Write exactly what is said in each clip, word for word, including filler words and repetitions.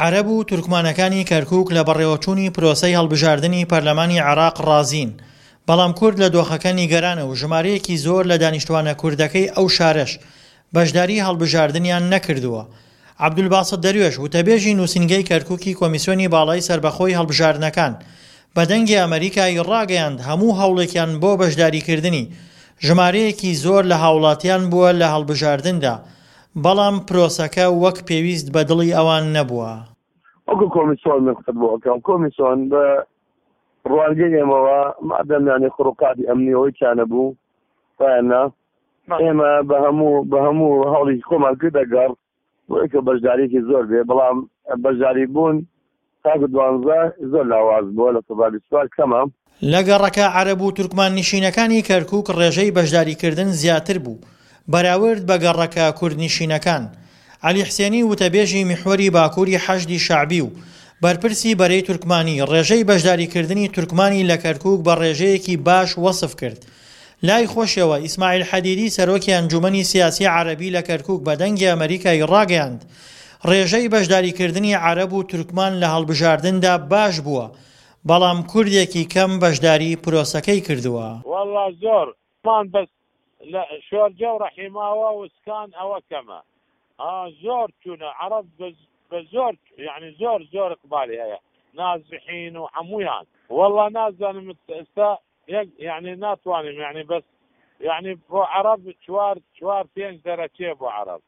عەرەب و تورکمانەکانی کەرکوک لە بەڕێوەچوونی پرۆسەی هەڵبژاردنی پەرلەمانی عێراق ڕازین، بەڵام کورد لە دۆخەکە نیگەرانە و ژمارەیەکی زۆر لە دانیشتوانە کوردەکەی ئەو شارەش بەشداری هەڵبژاردنیان نەکردووە. عەبدولباسط دەروێش، وتەبێژی نووسینگەی کەرکوکی کۆمیسیۆنی باڵای سەربەخۆی هەڵبژاردنەکان، بە دەنگی ئەمەریکای ڕاگەیاند هەموو هەوڵێکیان بۆ بەشداریکردنی ژمارەیەکی زۆر لە هاوڵاتیان بووە لە هەڵبژاردندا، بەڵام پرۆسەکە وەک پێویست بە دڵی ئەوان نەبووە. وەکو کۆمیسۆن من قسەت بۆ ئەکەم، کۆمیسۆن بە ڕوانگەی ئێمەوە مادەم یانی خروقاتی ئەمنیەوەی تیا نەبوو وایە نا ئێمە بە هەموو بە هەموو هەوڵی خۆمان کردە گەڕ بۆ ئەوەی کە بەشداریەکی زۆر بێ، بەڵام بەشداری بوون تاکو دوانزە زۆر لاواز بووە، لە سەدا بیست و چوار کەمە. لە گەڕەکە عەرەب و تورکمان نیشینەکانی کەرکوک ڕێژەی بەشداریکردن زیاتر بوو بەراورد بە گەڕەکە کوردنیشینەکان. عەلی حسێنی وتەبێژی میحوەری باکوری حەشدی شەعبی و بەرپرسی بەرەی تورکمانی ڕێژەی بەشداریکردنی تورکمانی لە کەرکوک بە ڕێژەیەکی باش وەسف کرد. لای خۆشیەوە ئیسماعیل حەدیدی سەرۆکی ئەنجومەنی سیاسی عەرەبی لە کەرکوک بە دەنگی ئەمەریکای ڕاگەیاند ڕێژەی بەشداریکردنی عەرەب و تورکمان لە هەڵبژاردندا باش بووە بەڵام کوردێکی کەم بەشداری پرۆسەکەی کردووە. وەڵا زۆر مان بەس لە شۆرجە و ڕەحیماوە و سکان ئەوە کەمە ها زۆر چونە عەڕەب بە زۆر یانی زۆر زۆر اقبالی هەیە نازحین و حەموویان وەڵا نازانم ئێستا یەک یانی ناتوانم یانی بەس یانی بۆ عەڕەب چوار چوار پێنج دەرەچێ بۆ عەڕەب.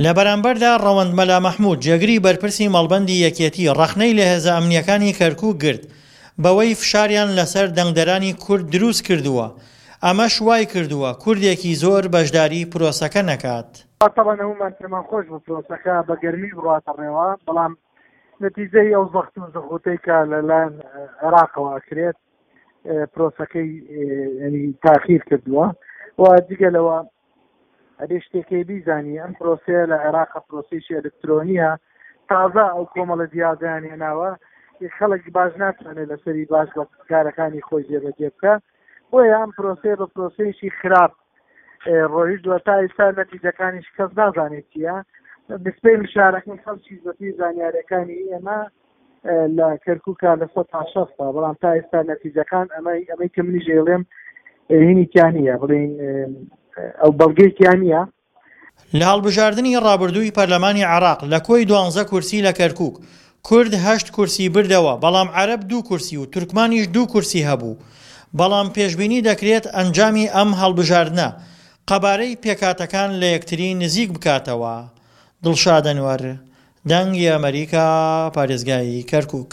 لە بەرامبەردا ڕەوەند مەلا مەحمود، جێگری بەرپرسی مەڵبەندی یەکێتی، ڕەخنەی لە هێزە ئەمنییەکانی کەرکوک گرت بەوەی فشاریان لەسەر دەنگدەرانی کورد دروستکردووە، ئەمەش وایکردووە کوردێکی زۆر بەشداری پرۆسەکە نەکات. تەبعەن هەموومان پێمان خۆش بوو پرۆسەکە بە گەرمی بڕواتە ڕێوە، بەڵام نەتیجەی ئەو زەخت و زغوتەی کە لەلایەن عێراقەوە ئەکرێت پرۆسەکەی یعنی تاخیر کردووە و جگە لەوە ئەبێ شتێکەی بیزانی ئەم پرۆسەیە لە عێراق پرۆسەیەکی ئەلکترۆنیە، تازە ئەو کۆمەڵە دیاردەیان هێناوە خەڵک باش ناتوانێت لەسەری باش بە کارەکانی خۆی جێبەجێ بکە، بۆیە ئەم پرۆسەیە بە پرۆسەیەکی خراپ ڕۆیشتووە. تا ئێستا نەتیجەکانیش کەس نازانێت چییە. نسبەی مشارەکەی خەڵکی بەپێی زانیاریەکانی ئێمە لە کەرکووکە لە سەد تا شەستە، بەڵام تا ئێستا نەتیجەکان ئەمەی ئەمەی کە منیش ئەیڵێم هینی تیا نییە، بڵێین ئەو بەڵگەی تیا نییە. لە هەڵبژاردنی ڕابردووی پەرلەمانی عێراق لە کۆی دوانزە کورسی لە کەرکووک، کورد هەشت کورسی بردەوە، بەڵام عەرەب دوو کورسی و تورکمانیش دوو کورسی هەبوو، بەڵام پێشبینی دەکرێت ئەنجامی ئەم هەڵبژاردنە قەبارەی پێکهاتەکان لە یەکتری نزیک بکاتەوە. دڵشاد ئەنوەر، دەنگی ئەمەریکا، پارێزگای کەرکووک.